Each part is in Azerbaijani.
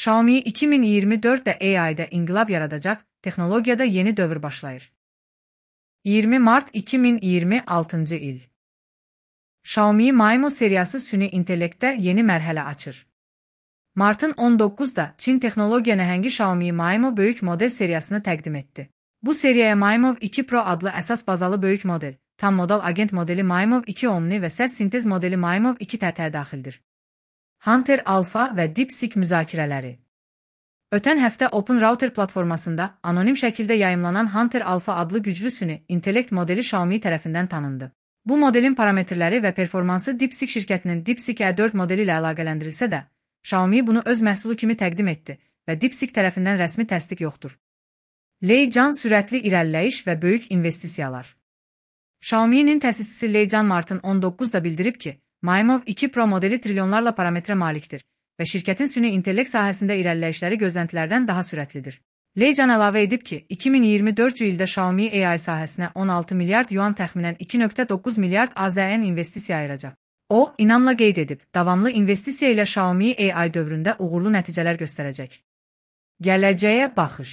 Xiaomi 2024'də AI-də inqilab yaradacaq, texnologiyada yeni dövr başlayır. 20 Mart 2026 il. Xiaomi Maimo seriyası süni intellektdə yeni mərhələ açır. Martın 19'da Çin texnologiya nəhəngi Xiaomi Maimo böyük model seriyasını təqdim etdi. Bu seriyaya Maimo 2 Pro adlı əsas bazalı böyük model, tam modal agent modeli Maimo 2 Omni və səs sintez modeli Maimo 2 TT daxildir. Hunter Alpha və DeepSeek müzakirələri. Ötən həftə Open Router platformasında anonim şəkildə yayımlanan Hunter Alpha adlı güclü süni intellekt modeli Xiaomi tərəfindən tanındı. Bu modelin parametrləri və performansı DeepSeek şirkətinin DeepSeek E4 modeli ilə əlaqələndirilsə də, Xiaomi bunu öz məhsulu kimi təqdim etdi və DeepSeek tərəfindən rəsmi təsdiq yoxdur. Lei Can sürətli irəliləyiş və böyük investisiyalar. Xiaomi'nin təsisçisi Lei Can Martın 19'da bildirib ki, Maimo 2 Pro modeli trilyonlarla parametrə malikdir və şirkətin süni intellekt sahəsində irəliləyişləri gözləntilərdən daha sürətlidir. Lei Can əlavə edib ki, 2024 ildə Xiaomi AI sahəsinə 16 milyard yuan təxminən 2,9 milyard AZN investisiya ayıracaq. O, inamla qeyd edib, davamlı investisiya ilə Xiaomi AI dövründə uğurlu nəticələr göstərəcək. Gələcəyə baxış.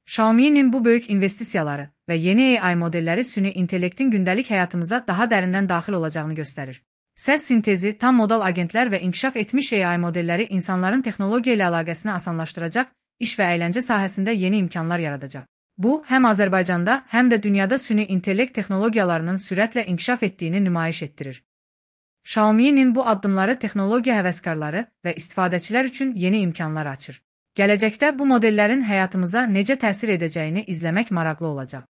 Xiaomi'nin bu böyük investisiyaları və yeni AI modelləri süni intellektin gündəlik həyatımıza daha dərindən daxil olacağını göstərir. Səs sintezi, tam modal agentlər və inkişaf etmiş AI modelləri insanların texnologiya ilə əlaqəsini asanlaşdıracaq, iş və əyləncə sahəsində yeni imkanlar yaradacaq. Bu, həm Azərbaycanda, həm də dünyada süni intellekt texnologiyalarının sürətlə inkişaf etdiyini nümayiş etdirir. Xiaomi'nin bu addımları texnologiya həvəskarları və istifadəçilər üçün yeni imkanlar açır. Gələcəkdə bu modellərin həyatımıza necə təsir edəcəyini izləmək maraqlı olacaq.